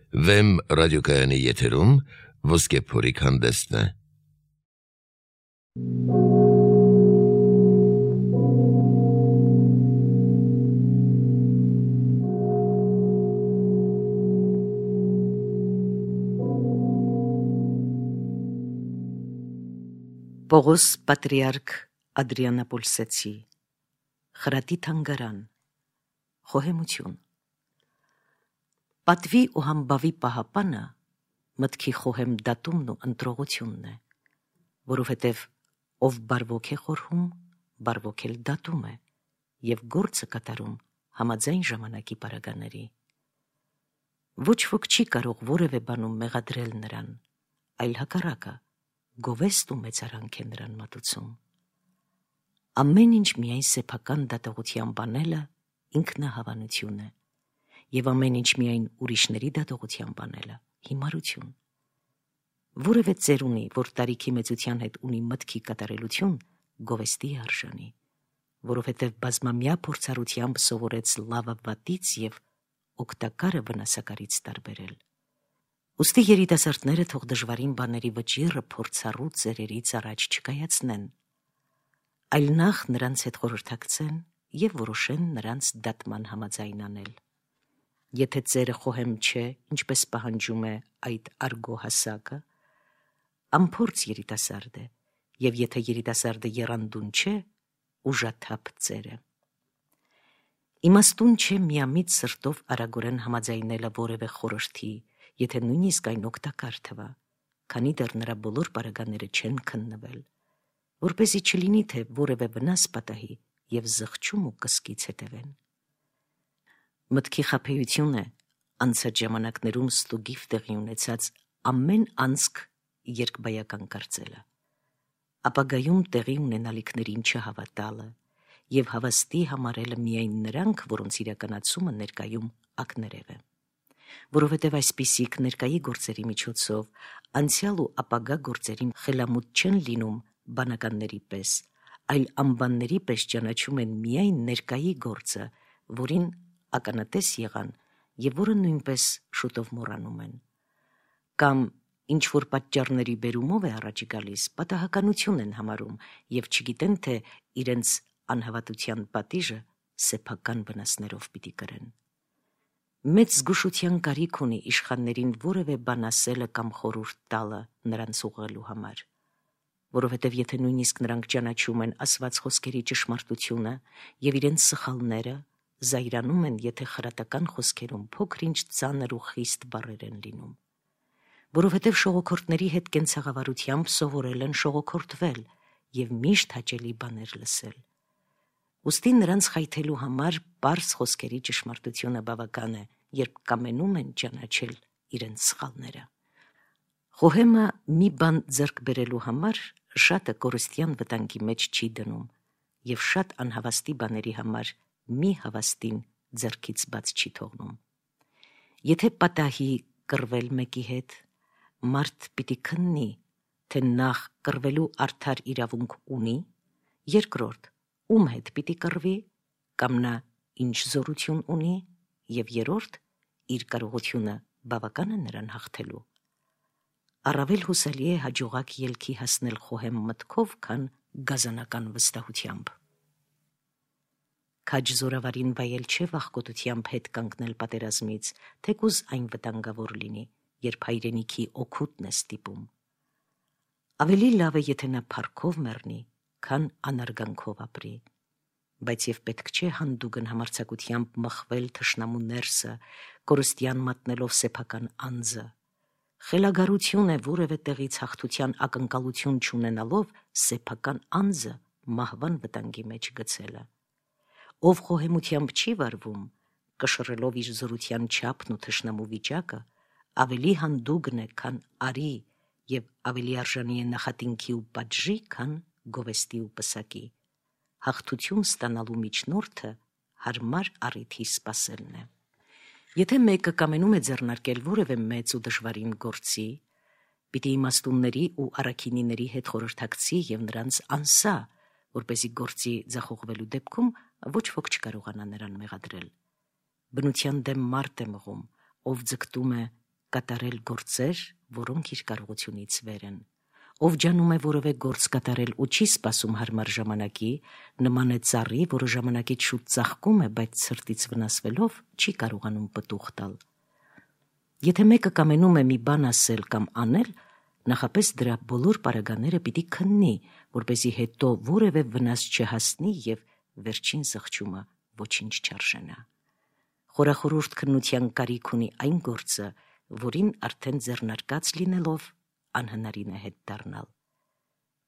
Վեմ ռադիոկայանի եթերում ոսկե փորիկ հանդեսն է։ Պողոս պատրիարք Ադրիանապոլսեցի, խրատի թանգարան, խոհեմություն։ Պատվի ու համբավի պահապանը մտքի խոհեմ դատումն ու ընտրողությունն է, որովհետև ով բարվոք է խորհում, բարվոք էլ դատում է և գործը կատարում համաձայն ժամանակի պարագաների։ Ոչ ոք չի կարող որևէ բանում մեղադրել նրան, այլ հակառակը, գովեստ ու մեծարանք է նրան մատուցում։ Ամեն ինչ միայն սեփական դատողությամբ անելը ինքնահավանություն է, և ամեն ինչ միայն ուրիշների դատողությամբ անելը հիմարություն։ Որևէ ծերունի, որ տարիքի մեծության հետ ունի մտքի կատարելություն, գովեստի է արժանի, որովհետև բազմամյա փորձառությամբ սովորեց լավը վատից և օգտակարը վնասակարից տարբերել։ Ուստի երիտասարդները թող դժվարին բաների վճիռը փորձառու ծերերից առաջ չկայացնեն, այլ նախ նրանց հետ խորհրդակցեն և որոշեն նրանց դատման համաձայն անել։ Եթե ծերը խոհեմ չէ, ինչպես պահանջում է այդ արգո հասակը, անփորձ երիտասարդ է, և եթե երիտասարդը եռանդուն չէ, ուժաթափ ծեր է։ Իմաստուն չէ միամիտ սրտով արագորեն համաձայնելը որևէ խորհրդի, եթե նույնիսկ այն օգտակար թվա, քանի դեռ նրա բոլոր պարագաները չեն քննվել, որպեսզի չլինի, թե որևէ վնաս պատահի և զղջում ու կսկից հետևեն։ Մտքի խաբեություն է անցած ժամանակներում ստուգիվ տեղի ունեցած ամեն անցք երկբայական կարծելը, ապագայում տեղի ունենալիքներին չհավատալը և հավաստի համարելը միայն նրանք, որոնց իրականացումը ներկայում ակներև է, որովհետև այսպիսիք ներկայի գործերի միջոցով անցյալ ու ապագա գործերին խելամուտ չեն լինում բանականների պես, այլ անբանների պես ճանաչում են միայն ներկայի գործը, որին ականատես եղան և որը նույնպես շուտով մոռանում են, կամ ինչ-որ պատճառների բերումով է առաջ գալիս, պատահականություն են համարում և չգիտեն, թե իրենց անհավատության պատիժը սեփական վնասներով պիտի կրեն։ Մեծ զգուշության կարիք ունի իշխաններին որևէ բան ասելը կամ խորհուրդ տալը նրանց ուղղելու համար, որովհետև եթե նույնիսկ նրանք ճանաչում են ասված խոսքերի ճշմարտությունը և իրենց սխալները, զայրանում են, եթե խրատական խոսքերում փոքր-ինչ ծանր ու խիստ բառեր են լինում, որովհետև ժողովուրդների հետ կենցաղավարությամբ սովորել են ժողովրդվել և միշտ հաճելի բաներ լսել։ Ուստի նրանց խայթելու համար պարզ խոսքերի ճշմարտությունը բավական է, երբ կամենում են ճանաչել իրենց սխալները։ Խոհեմը մի բան ձեռք բերելու համար շատը կորստյան վտանգի մեջ չի դնում և շատ անհավաստի բաների համար մի հավաստին ձեռքից բաց չի թողնում։ Եթե պատահի կռվել մեկի հետ, մարդ պիտի քննի, թե նախ կռվելու արդար իրավունք ունի, երկրորդ ում հետ պիտի կռվի, կամ նա ինչ զորություն ունի, և երրորդ իր կարողությունը բավական է նրան հաղթելու։ Առավել հուսալի է հաջողակ ելքի հասնել խոհեմ մտքով, քան գազանական վստահությամբ։ Քաջ զորավարին վայել չէ վախկոտությամբ հետ կանգնել պատերազմից, թեկուզ այն վտանգավոր լինի, երբ հայրենիքի օգուտն է ստիպում։ Ավելի լավ է, եթե նա փառքով մեռնի, քան անարգանքով ապրի, բայց և պետք չէ հանդուգն համարձակությամբ մխվել թշնամու ներսը, կորստյան մատնելով սեփական անձը։ Խելագարություն է որևէ տեղից հաղթության ակնկալություն չունենալով սեփական անձը մահվան վտանգի մեջ գցելը։ Ով խոհեմությամբ չի վարվում, կշռելով իր զորության չափն ու թշնամու վիճակը, ավելի հանդուգն է, քան արի, և ավելի արժանի է նախատինքի ու պատժի, քան գովեստի ու պսակի։ Հաղթություն ստանալու միջնորդը հարմար առիթի սպասելն է։ Եթե մեկը կամենում է ձեռնարկել որևէ մեծ ու դժվարին գործի, պիտի իմաստունների ու առաքինիների հետ խորհրդակցի և նրանց անսա, որպեսզի գործի ձախողվելու դեպքում ոչ ոք չկարողանա նրան մեղադրել։ Բնության դեմ մարդ է մղում, ով ձգտում է կատարել գործեր, որոնք իր կարողությունից վեր են։ Ով ջանում է որևէ գործ կատարել ու չի սպասում հարմար ժամանակի, նման է ծառի, որը ժամանակից շուտ ծաղկում է, բայց սրտից վնասվելով չի կարողանում պտուղ տալ։ Եթե մեկը կամենում է մի բան ասել կամ անել, նախապես դրա բոլոր պարագաները պիտի քննի, որպեսզի հետո որևէ վնաս չհասնի և վերջին զղջումը ոչինչ չարժենա։ Խորախորուրդ քննության կարիք ունի այն գործը, որին արդեն ձեռնարկած լինելով անհնարին է հետ դառնալ։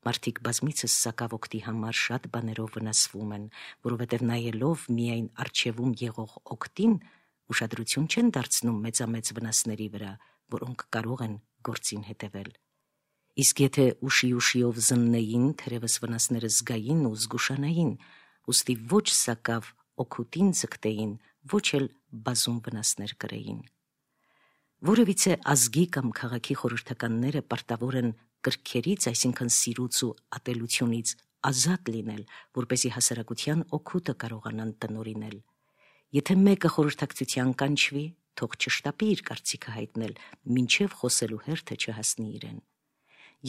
Մարդիկ բազմիցս սակավօգտի համար շատ բաներով վնասվում են, որովհետև նայելով միայն առջևում եղող օգտին, ուշադրություն չեն դարձնում մեծամեծ վնասների վրա, որոնք կարող են գործին հետևել։ Իսկ եթե ուշիով զննեին, թերևս վնասները զգային ու զգուշանային, ուստի ոչ սակավ օգուտին ձգտեին, ոչ էլ բազում վնասներ կրեին։ Որևիցե ազգի կամ քաղաքի խորհրդականները պարտավոր են կրքերից, այսինքն սիրուց ու ատելությունից ազատ լինել, որպեսզի հասարակության օգուտը կարողանան տնօրինել։ Եթե մեկը խորհրդակցության կանչվի, թող չշտապի իր կարծիքը հայտնել, մինչև խոսելու հերթը չհասնի իրեն։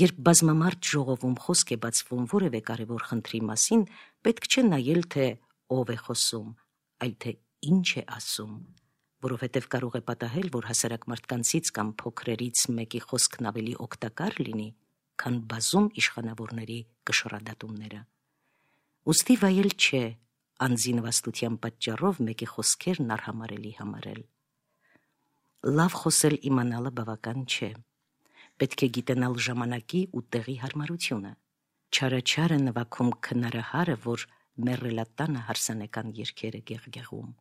Երբ բազմամարդ ժողովում խոսք է բացվում որևէ կարևոր խնդրի մասին, պետք չէ նայել, թե ով է խոսում, այլ թե ինչ է ասում, որովհետև կարող է պատահել, որ հասարակ մարդկանցից կամ փոքրերից մեկի խոսքն ավելի օգտակար լինի, քան բազում իշխանավորների կշռադատումները։ Ուստի վայել չէ անձի նվաստության պատճառով մեկի խոսքերն արհամարելի համարել։ Լավ խոսել իմանալը բավական չէ։ Պետք է գիտենալ ժամանակի ու տեղի հարմարությունը։ Չարը նվագում քնարահարը, որ մեռելատանը հարսանեկան երգերը գեղգեղում։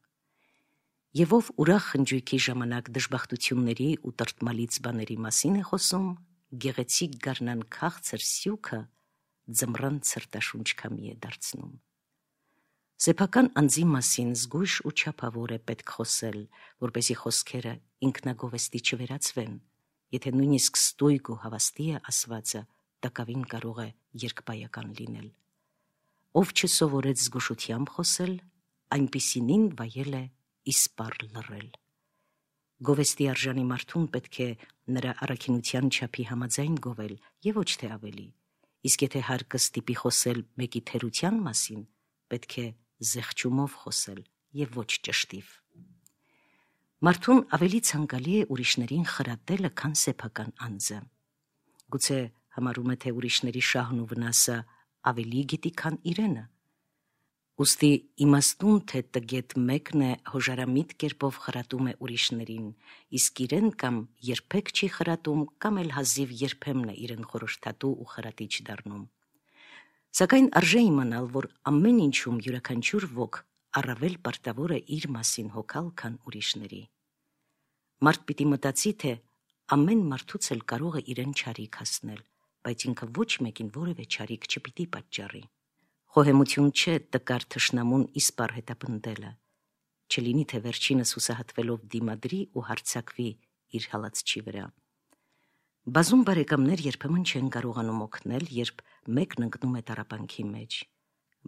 Եվ ով ուրախ խնջույքի ժամանակ դժբախտությունների ու տրտմալից բաների մասին է խոսում, գեղեցիկ գարնան քաղցր սյուքը ձմռան ցրտաշունչ քամի է դարձնում։ Սեփական անձի մասին զգույշ ու չափավոր է պետք խոսել, որպեսզի խոսքերը ինքնագովեստի չվերածվեն, եթե նույնիսկ ստույգ ու հավաստի է ասվածը, տակավին կարող է երկբայական լինել։ Ով չսովորեց զգուշությամբ խոսել, այնպիսինին վայել է իսպառ լռել։ Գովեստի արժանի մարդուն պետք է նրա առաքինության չափի համաձայն գովել և ոչ թե ավելի, իսկ եթե հարկը ստիպի խոսել մեկի թերության մասին, պետք է զեղչումով խոսել և ոչ ճշտիվ։ Մարդուն ավելի ցանկալի է ուրիշներին խրատելը, քան սեփական անձը։ Գուցե համարում է, թե ուրիշների շահն ու վնասը ավելի գիտի, քան իրենը։ Ուստի իմաստուն թե տգետ մեկն է հոժարամիտ կերպով խրատում է ուրիշներին, իսկ իրեն կամ երբեք չի խրատում, կամ էլ հազիվ երբեմն է իրեն խորհրդատու ու խրատիչ դառնում։ Սակայն արժե իմանալ, որ ամեն ինչում յուրաքանչյուր ոք առավել պարտավոր է իր մասին հոգալ, քան ուրիշների։ Մարդ պիտի մտածի, թե ամեն մարդուց էլ կարող է իրեն չարիք հասնել, բայց ինքը ոչ մեկին որևէ չարիք չպիտի պատճառի։ Խոհեմություն չէ տկար թշնամուն իսպառ հետապնդելը, չլինի թե վերջինս հուսահատվելով դիմադրի ու հարձակվի իր հալածչի վրա։ Բազում բարեկամներ երբեմն չեն կարողանում օգնել, երբ մեկն ընկնում է տառապանքի մեջ,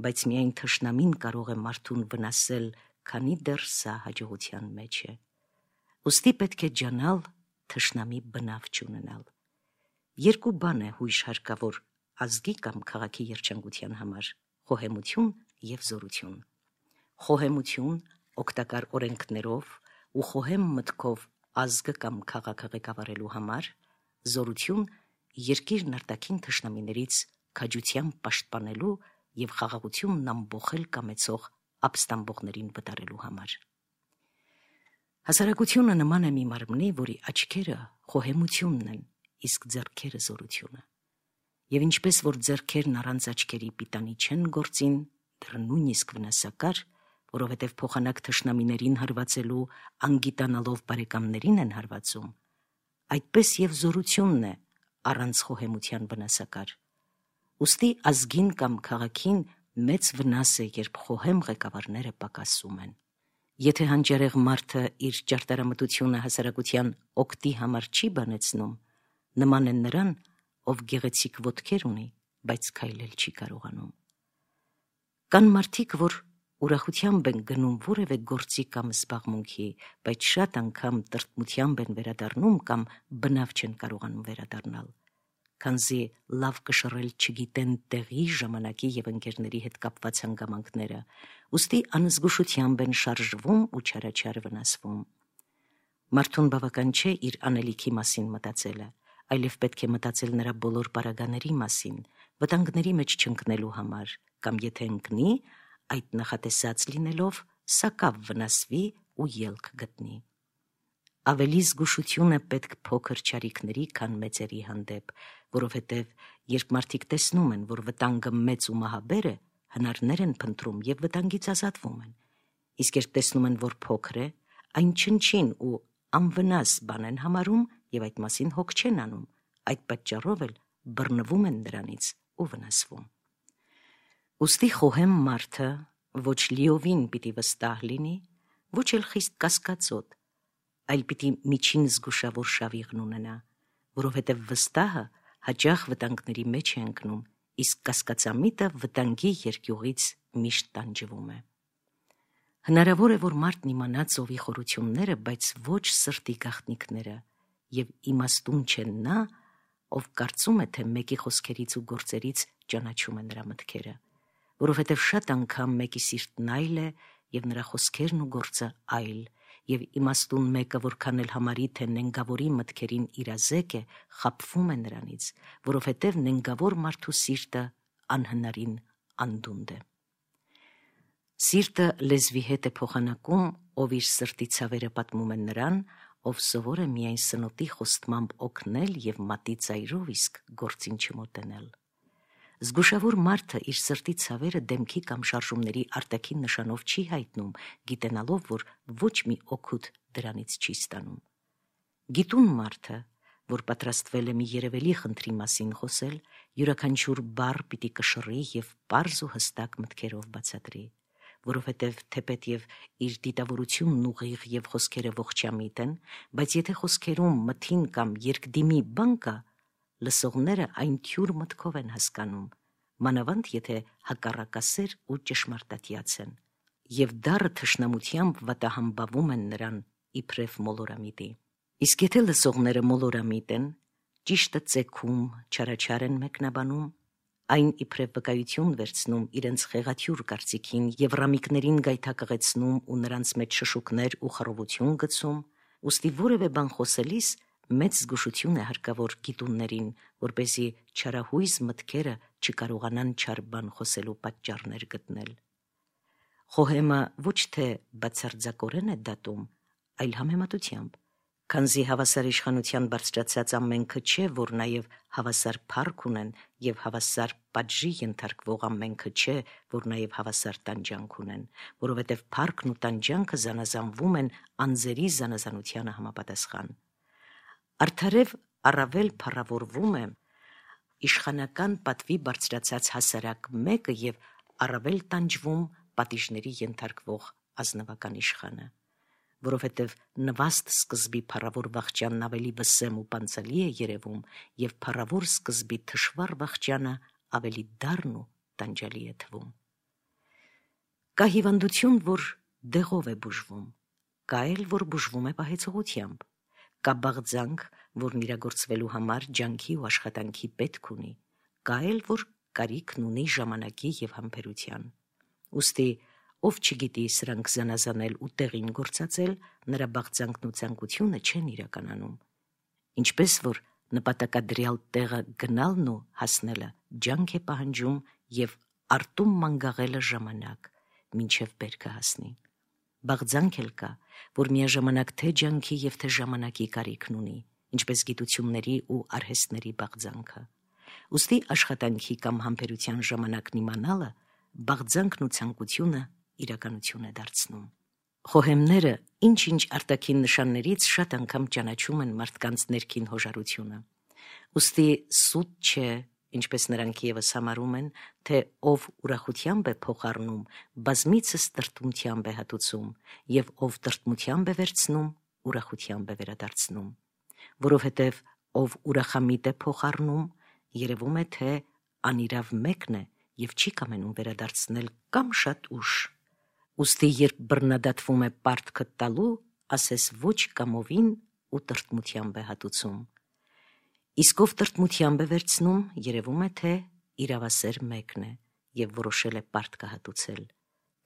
բայց միայն թշնամին կարող է մարդուն վնասել, քանի դեռ սա հաջողության մեջ է։ Ուստի պետք է ջանալ թշնամի բնավ չունենալ։ Երկու բան է հույժ հարկավոր ազգի կամ քաղաքի երջանկության համար՝ խոհեմություն և զորություն։ Խոհեմություն օգտակար օրենքներով ու խոհեմ մտքով ազգը կամ քաղաքը ղեկավարելու համար, զորություն երկիրն արտաքին թշնամիներից քաջությամբ պաշտպանելու և խաղաղությունն ամբոխել կամեցող ապստամբողներին վտարելու համար։ Հասարակությունը նման է մի մարմնի, որի աչքերը խոհեմությունն են, իսկ ձեռքերը զորությունը։ Եվ ինչպես որ ձեռքերն առանց աչքերի պիտանի չեն գործին, դեռ նույնիսկ վնասակար, որովհետև փոխանակ թշնամիներին հարվածելու անգիտանալով բարեկամներին են հարվածում, այդպես և զորությունն է առանց խոհեմության վնասակար։ Ուստի ազգին կամ քաղաքին մեծ վնաս է, երբ խոհեմ ղեկավարները պակասում են։ Եթե հանճարեղ մարդը իր ճարտարամտությունը հասարակության օգտի համար չի բանեցնում, նման է նրան, ով գեղեցիկ ոտքեր ունի, բայց քայլել չի կարողանում։ Կան մարդիկ, որ ուրախությամբ են գնում որևէ գործի կամ զբաղմունքի, բայց շատ անգամ տրտմությամբ են վերադառնում կամ բնավ չեն կարողանում վերադառնալ, քանզի լավ կշռել չգիտեն տեղի, ժամանակի եւ ընկերների հետ կապված հանգամանքները, ուստի անզգուշությամբ են շարժվում ու չարաչար վնասվում։ Մարդուն բավական չէ իր անելիքի մասին մտածելը, այլև պետք է մտածել նրա բոլոր պարագաների մասին, վտանգների մեջ չընկնելու համար, կամ եթե ընկնի, այդ նախատեսած լինելով, սակավ վնասվի ու ելք գտնի։ Ավելի զգուշություն է պետք փոքր չարիքների, քան մեծերի հանդեպ, որովհետև երբ մարդիկ տեսնում են, որ վտանգը մեծ ու մահաբեր է, հնարներ են փնտրում եւ վտանգից ազատվում են։ Իսկ երբ տեսնում են, որ փոքր է, այն չնչին ու անվնաս բան են համարում եւ այդ մասին հոգ չեն անում, այդ պատճառով էլ բռնվում են նրանից ու վնասվում։ Ուստի խոհեմ մարդը ոչ լիովին պիտի վստահ լինի, ոչ էլ խիստ կասկածոտ, այլ պիտի միջին զգուշավոր շավիղն ունենա, որովհետև վստահը հաճախ վտանգների մեջ է ընկնում, իսկ կասկածամիտը վտանգի երկյուղից միշտ տանջվում է։ Հնարավոր է, որ մարդն իմանա ծովի խորությունները, բայց ոչ սրտի գաղտնիքները, եւ իմաստուն չէ նա, ով կարծում է, թե մեկի խոսքերից ու գործերից ճանաչում է նրա մտքերը, որովհետև շատ անգամ մեկի սիրտն այլ է եւ նրա խոսքերն ու գործը այլ, եւ իմաստուն մեկը, որքան էլ համարի, թե նենգավորի մտքերին իրազեկ է, խաբվում է նրանից, որովհետև նենգավոր մարդու սիրտը անհնարին անդունդ է։ Սիրտը լեզվի հետ է փոխանակում, ով իր սրտի ցավերը պատմում է նրան, ով սովոր է միայն սնոտի խոստմամբ օգնել եւ մատի ծայրով իսկ գործին չմոտենել։ Զգուշավոր մարդը իր սրտի ցավերը դեմքի կամ շարժումների արտաքին նշանով չի հայտնում, գիտենալով, որ ոչ մի օգուտ դրանից չի ստանում։ Գիտուն մարդը, որ պատրաստվել է մի երևելի խնդրի մասին խոսել, յուրաքանչյուր բառ պիտի կշռի եւ պարզ ու հստակ մտքերով բացատրի, որովհետև թեպետև իր դիտավորությունն ուղիղ եւ խոսքերը ողջամիտ են, բայց եթե խոսքերում մթին կամ երկդիմի բան կա, լսողները այն թյուր մտքով են հասկանում, մանավանդ եթե հակառակասեր ու ճշմարտատյաց են, եւ դառը թշնամությամբ վատահամբավում են նրան իբրև մոլորամիտի։ Իսկ եթե լսողները մոլորամիտ են, ճիշտը ծեքում, չարաչար են մեկնաբանում, այն իբրև վկայություն վերցնում իրենց խեղաթյուր կարծիքին եւ ռամիկներին գայթակղեցնում ու նրանց մեջ շշուկներ ու խռովություն գցում, ուստի որևէ բան խոսելիս մեծ զգուշություն է հարկավոր գիտուններին, որպեսզի չարահույս մտքերը չկարողանան չար բան խոսելու պատճառներ գտնել։ Խոհեմը ոչ թե բացարձակորեն է դատում, այլ համեմատությամբ, քանզի հավասար իշխանության բարձրացած ամենքը չէ, որ նաև հավասար փառք ունեն, եւ հավասար պատժի ենթարկվող ամենքը չէ, որ նաև հավասար տանջանք ունեն, որովհետև փառքն ու տանջանքը զանազանվում են անձերի զանազանությանը համապատասխան։ Արդարև առավել փառավորվում է իշխանական պատվի բարձրացած հասարակ մեկը եւ առավել տանջվում պատիժների ենթարկվող ազնվական իշխանը, որովհետև նվաստ սկզբի փառավոր վախճանն ավելի վսեմ ու պանծալի է երևում եւ փառավոր սկզբի թշվառ վախճանը ավելի դառն ու տանջալի է թվում։ Կա հիվանդություն, որ դեղով է բուժվում, կա էլ, որ բուժվում է պահեցողությամբ, կա բաղձանք, որն իրագործվելու համար ջանքի ու աշխատանքի պետք ունի, կա էլ, որ կարիքն ունի ժամանակի եւ համբերության։ Ուստի ով չգիտի սրանք զանազանել ու տեղին գործածել, նրա բաղձանքն ու ցանկությունը չեն իրականանում։ Ինչպես որ նպատակադրյալ տեղը գնալն ու հասնելը ջանք է պահանջում եւ արտում մանգաղելը ժամանակ, մինչև բերքը հասնի։ Բաղձանք էլ կա, որ միաժամանակ թե ջանքի եւ թե ժամանակի կարիքն ունի, ինչպես գիտությունների ու արհեստների բաղձանքը։ Ուստի աշխատանքի կամ համբերության ժամանակն իմանալը բաղձանքն ու ցանկությունը իրականություն է դարձնում։ Խոհեմները ինչ-ինչ արտաքին նշաններից շատ անգամ ճանաչում են մարդկանց ներքին հոժարությունը։ Ուստի սուտ չէ, ինչպես նրանք եւս համարում են, թե ով ուրախությամբ է փոխառնում, բազմիցս տրտմությամբ է հատուցում, եւ ով տրտմությամբ է վերցնում, ուրախությամբ է վերադարձնում, որովհետև ով ուրախամիտ է փոխառնում, երևում է, թե անիրավ մեկն է եւ չի կամենում վերադարձնել կամ շատ ուշ, Ուստի երբ բռնադատվում է պարտքը տալու, ասես ոչ կամովին ու տրտմությամբ է հատուցում։ Իսկ ով տրտմությամբ է վերցնում, երևում է, թե իրավասեր մեկն է և որոշել է պարտքը հատուցել։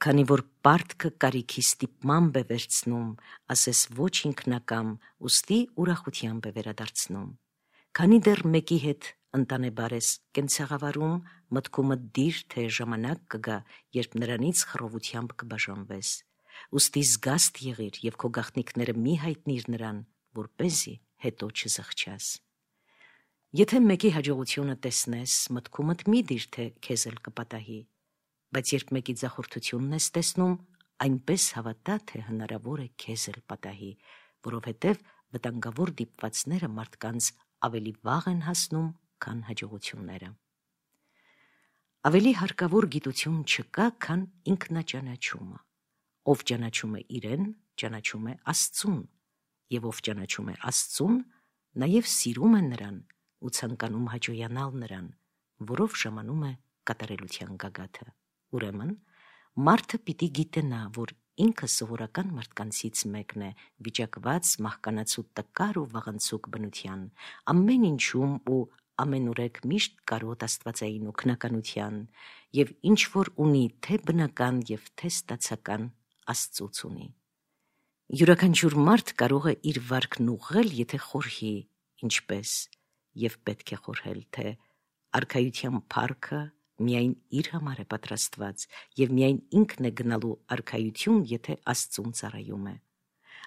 Քանի որ պարտքը կարիքի ստիպմամբ է վերցնում, ասես ոչ ինքնակամ, ուստի ուրախությամբ է վերադարձնում։ Քանի դեռ մեկի հետ ընտանեբար ես կենցաղավարում, մտքումդ դիր, թե ժամանակ կգա, երբ նրանից խռովությամբ կբաժանվես։ Ուստի զգաստ եղիր և քո գաղտնիքները մի հայտնիր նրան, որպեսզի հետո չզղջաս։ Եթե մեկի հաջողությունը տեսնես, մտքումդ մի դիր, թե քեզ էլ կպատահի, բայց երբ մեկի ձախորդությունն ես տեսնում, այնպես հավատա, թե հնարավոր է քեզ էլ պատահի, որովհետև վտանգավոր դիպվածները մարդկանց ավելի վաղ են հասնում, քան հաջողությունները։ Ավելի հարկավոր գիտություն չկա, քան ինքնաճանաչումը։ Ով ճանաչում է իրեն, ճանաչում է Աստծուն, և ով ճանաչում է Աստծուն, նաև սիրում է նրան ու ցանկանում հաճոյանալ նրան, որով ժամանում է կատարելության գագաթը։ Ուրեմն, մարդը պիտի գիտենա, որ ինքը սովորական մարդկանցից մեկն է, վիճակված մահկանացու տկար ու վաղնցուկ բնության, ամեն ինչում ու ամենուրեք միշտ կարոտ աստվածային օգնականության, և ինչ որ ունի թե բնական և թե ստացական, Աստծուց ունի։ Յուրաքանչյուր մարդ կարող է իր վարքն ուղղել, եթե խորհի, ինչպես և պետք է խորհել, թե արքայության փառքը միայն իր համար է պատրաստված և միայն ինքն է գնալու արքայություն, եթե Աստծուն ծառայում է։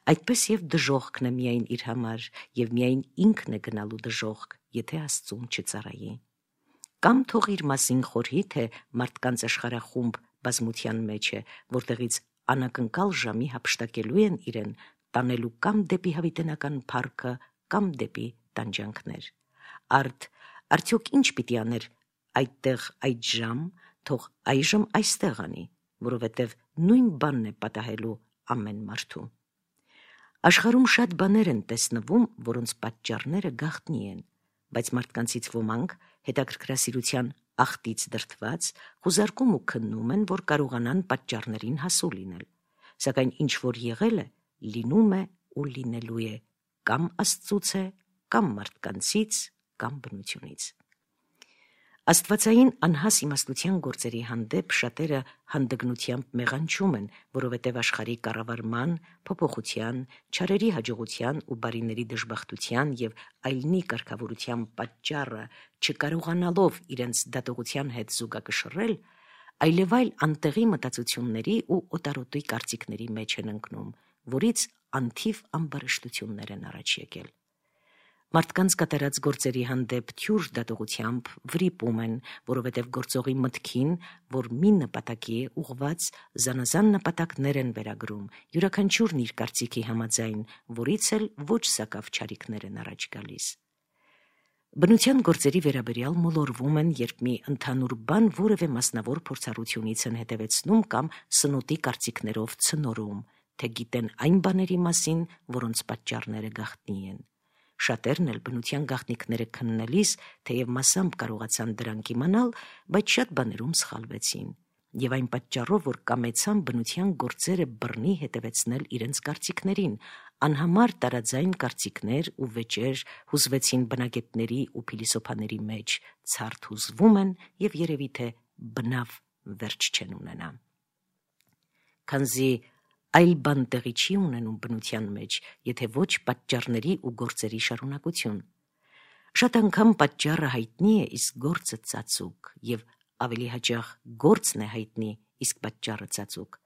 Այդպես և դժոխքն է միայն իր համար և միայն ինքն է գնալու դժոխք, եթե Աստծուն չծառայի։ Կամ թող իր մասին խորհի, թե մարդկանց աշխարհախումբ բազմության մեջ է, որտեղից անակնկալ ժամի հափշտակելու են իրեն, տանելու կամ դեպի հավիտենական փառքը, կամ դեպի տանջանքներ։ Արդյոք ինչ պիտի աներ այդտեղ այդ ժամ, թող այժմ այստեղ անի, որովհետև նույն բանն է պատահելու ամեն մարդու։ Աշխարհում շատ բաներ են տեսնվում, որոնց պատճառները գաղտնի են, բայց մարդկանցից ոմանք հետաքրքրասիրության աղտից դրդված խուզարկում ու քննում են, որ կարողանան պատճառներին հասու լինել, սակայն ինչ որ եղել է, լինում է ու լինելու է, կամ Աստծուց է, կամ մարդկանցից, կամ բնությունից։ Աստվածային անհաս իմաստության գործերի հանդեպ շատերը հանդգնությամբ մեղանչում են, որովհետև աշխարհի կառավարման, փոփոխության, չարերի հաջողության ու բարիների դժբախտության և այլնի կարգավորության պատճառը չկարողանալով իրենց դատողության հետ զուգակշռել, այլևայլ անտեղի մտածությունների ու օտարոտի կարծիքների մեջ են ընկնում, որից անթիվ ամբարշտություններ են առաջ եկել։ Մարդկանց կատարած գործերի հանդեպ թյուր դատողությամբ վրիպում են, որովհետև գործողի մտքին, որ մի նպատակի է ուղղված, զանազան նպատակներ են վերագրում, յուրաքանչյուրն իր կարծիքի համաձայն, որից էլ ոչ սակավ չարիքներ են առաջ գալիս։ Բնության գործերի վերաբերյալ մոլորվում են, երբ մի ընդհանուր բան որևէ մասնավոր փորձառությունից են հետևեցնում կամ սնոտի կարծիքներով ցնորում, թե գիտեն այն բաների մասին, որոնց պատճառները գաղտնի են։ Շատերն էլ բնության գաղտնիքները քննելիս, թեև մասամբ կարողացան դրանք իմանալ, բայց շատ բաներում սխալվեցին, և այն պատճառով, որ կամեցան բնության գործերը բռնի հետևեցնել իրենց կարծիքներին, անհամար տարաձայն կարծիքներ ու վեճեր հուզվեցին բնագետների ու փիլիսոփաների մեջ, ցարդ հուզվում են և երևի թե բնավ վերջ չեն ունենա։ Քանզի այլ բան տեղի չի ունենում բնության մեջ, եթե ոչ պատճառների ու գործերի շարունակություն։ Շատ անգամ պատճառը հայտնի է, իսկ գործը ծածուկ, և ավելի հաճախ գործն է հայտնի, իսկ պատճառը ծածուկ։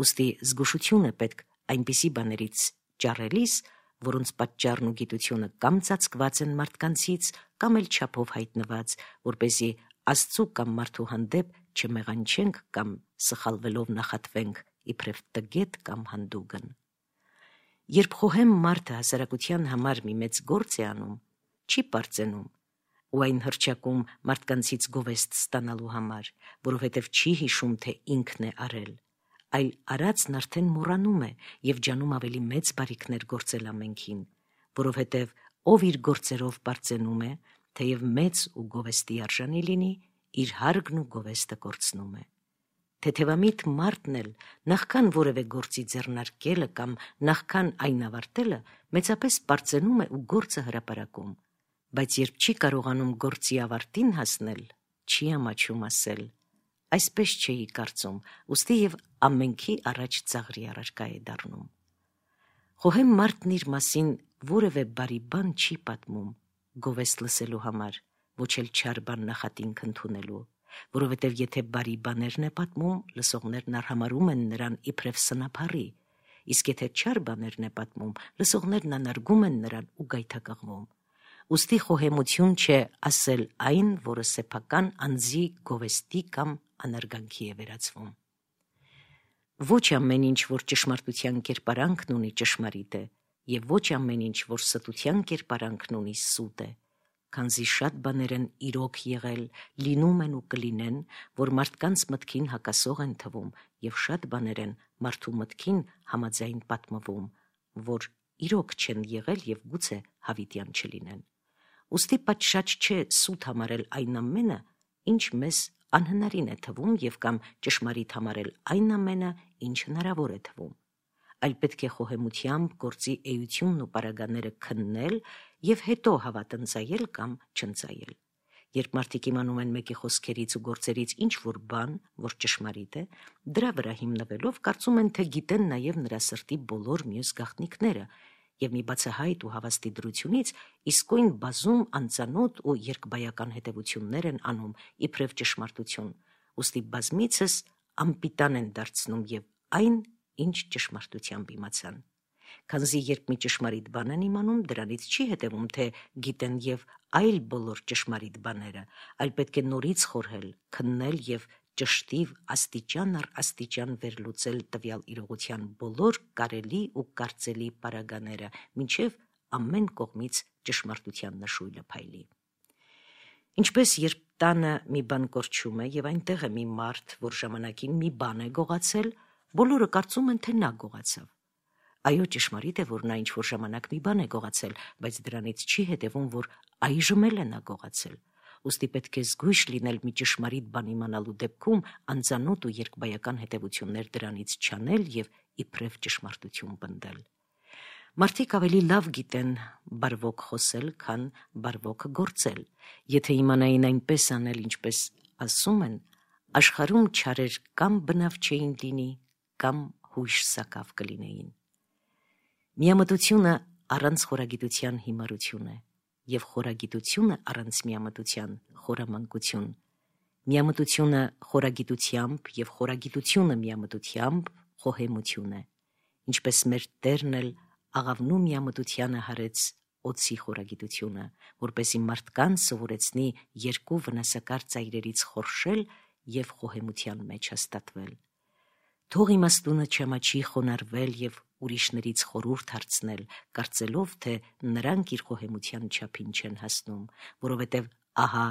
Ուստի զգուշություն է պետք այնպիսի բաներից ճառելիս, որոնց պատճառն ու գիտությունը կամ ծածկված են մարդկանցից, կամ էլ չափով հայտնված, որպեսզի Աստծու կամ մարդու հանդեպ չմեղանչենք կամ սխալվելով նախատվենք իբրև տգետ կամ հանդուգն։ Երբ խոհեմ մարդը հասարակության համար մի մեծ գործ է անում, չի պարծենում ու այն հռչակում մարդկանցից գովեստ ստանալու համար, որովհետև չի հիշում, թե ինքն է արել, այլ արածն արդեն մոռանում է և ջանում ավելի մեծ բարիքներ գործել ամենքին, որովհետև ով իր գործերով պարծենում է, թեև մեծ ու գովեստի արժանի լինի, իր հարգն ու գովեստը կորցնում է։ թեթևամիտ մարդն էլ նախքան որևէ գործի ձեռնարկելը կամ նախքան այն ավարտելը մեծապես պարծենում է ու գործը հրապարակում, բայց երբ չի կարողանում գործի ավարտին հասնել, չի ամաչում ասել. այսպես չէի կարծում, ուստի եւ ամենքի առաջ ծաղրի առարկա է դառնում։ Խոհեմ մարդն իր մասին որևէ բարի բան չի պատմում գովեստ լսելու համար, ոչ էլ չար բան նախատինք ընդունելու, որովհետև եթե բարի բաներն է պատմում, լսողներն արհամարհում են նրան իբրև սնափառի, իսկ եթե չար բաներն է պատմում, լսողներն անարգում են նրան ու գայթակղվում։ Ուստի խոհեմություն չէ ասել այն, որը սեփական անձի գովեստի կամ անարգանքի է վերածվում։ Ոչ ամեն ինչ, որ ճշմարտության կերպարանքն ունի, ճշմարիտ է, եւ ոչ ամեն ինչ, որ ստության կերպարանքն ունի, սուտ է, քանզի շատ բաներ են իրոք եղել, լինում են ու կլինեն, որ մարդկանց մտքին հակասող են թվում, եւ շատ բաներ են մարդու մտքին համաձայն պատմվում, որ իրոք չեն եղել եւ գուցե հավիտյան չլինեն։ Ուստի պատշաճ չէ սուտ համարել այն ամենը, ինչ մեզ անհնարին է թվում եւ կամ ճշմարիտ համարել այն ամենը, ինչ հնարավոր է թվում, այլ պետք է խոհեմությամբ գործի էությունն ու պարագաները քննել եւ հետո հավատնծայել կամ չընծայել։ Երբ մարդիկ իմանում են մեկի խոսքերից ու գործերից ինչ որ բան, որ ճշմարիտ է, դրա վրա հիմնվելով կարծում են, թե գիտեն նաեւ նրա սրտի բոլոր մյուս գաղտնիքները եւ մի բացահայտ ու հավաստի դրությունից իսկույն բազում անծանոթ ու երկբայական հետևություններ են անում իբրև ճշմարտություն, ուստի բազմիցս անպիտան են դարձնում եւ այն, ինչ ճշմարտությամբ իմացան։ Քանզի երբ մի ճշմարիտ բան են իմանում, դրանից չի հետևում, թե գիտեն եւ այլ բոլոր ճշմարիտ բաները, այլ պետք է նորից խորհել, քննել եւ ճշտիվ աստիճան առ աստիճան վերլուծել տվյալ իրողության բոլոր կարելի ու կարծելի պարագաները, մինչև ամեն կողմից ճշմարտության նշույլը փայլի։ Ինչպես երբ տանը մի բան կորչում է եւ այնտեղ է մի մարդ, որ ժամանակին մի բան է գողացել, բոլորը կարծում են, թե նա գողացավ։ Այո, ճշմարիտ է, որ նա ինչ-որ ժամանակ մի բան է գողացել, բայց դրանից չի հետևում, որ այժմ էլ է նա գողացել։ Ուստի պետք է զգույշ լինել մի ճշմարիտ բան իմանալու դեպքում անծանոթ ու երկբայական հետևություններ դրանից չանել եւ իբրև ճշմարտություն պնդել։ Մարդիկ ավելի լավ գիտեն բարվոք խոսել, քան բարվոք գործել։ Եթե իմանային այնպես անել, ինչպես ասում են, աշխարհում չարեր կամ բնավ չէին լինի, կամ հույժ սակավ կլինեին։ Միամտությունը առանց խորագիտության հիմարություն է, եւ խորագիտությունը առանց միամտության խորամանկություն։ Միամտությունը խորագիտությամբ եւ խորագիտությունը միամտությամբ խոհեմություն է, ինչպես մեր Տերն էլ աղավնու միամտությանը հարեց օծի խորագիտությունը, որպեսզի մարդկանց սովորեցնի երկու վնասակար ծայրերից խորշել եւ խոհեմության մեջ հաստատվել։ Թող իմաստունը չամաչի խոնարհվել եւ ուրիշներից խորհուրդ հարցնել, կարծելով, թե նրանք իր խոհեմության չափին չեն հասնում, որովհետև ահա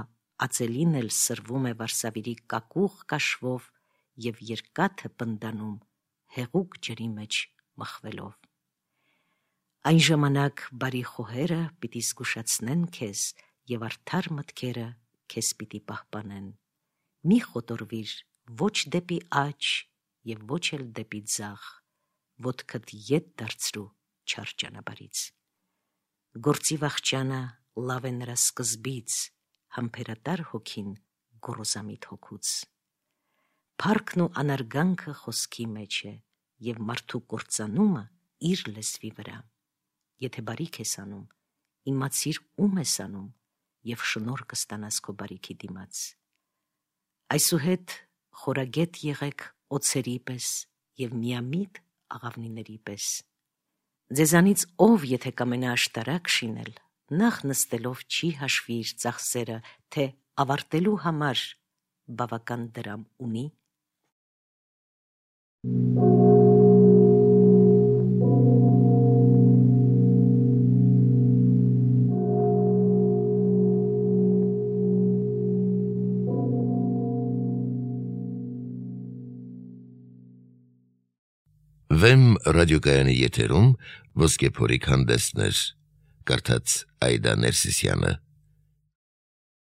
ածելին էլ սրվում է Վարսավիրի կակուղ կաշվով եւ երկաթը պնդանում հեղուկ ջրի մեջ մխվելով։ Այն ժամանակ բարի խոհերը պիտի զգուշացնեն քեզ եւ արդար մտքերը քեզ պիտի պահպանեն։ Մի խոտորվիր ոչ դեպի աջ եւ ոչ էլ դեպի ձախ, ոտքդ ետ դարձրու չար ճանապարհից։ Գործի վախճանը լավ է նրա սկզբից, համբերատար հոգին գոռոզամիտ հոգուց։ Փառքն ու անարգանքը խոսքի մեջ է եւ մարդու կործանումը իր լեզվի վրա։ Եթե բարիք ես անում, իմացիր ում ես անում եւ շնորհ կստանաս քո բարիքի դիմաց։ Այսուհետ խորագետ եղեք օձերի պես եւ միամիտ աղավնիների պես։ Ձեզանից ով եթե կամենա աշտարակ շինել, նախ նստելով չի հաշվի իր ծախսերը, թե ավարտելու համար բավական դրամ ունի։ Վեմ ռադիոկայանի եթերում ոսկե փորիկ հանդեսներ, կարդաց Այդա Ներսիսյանը։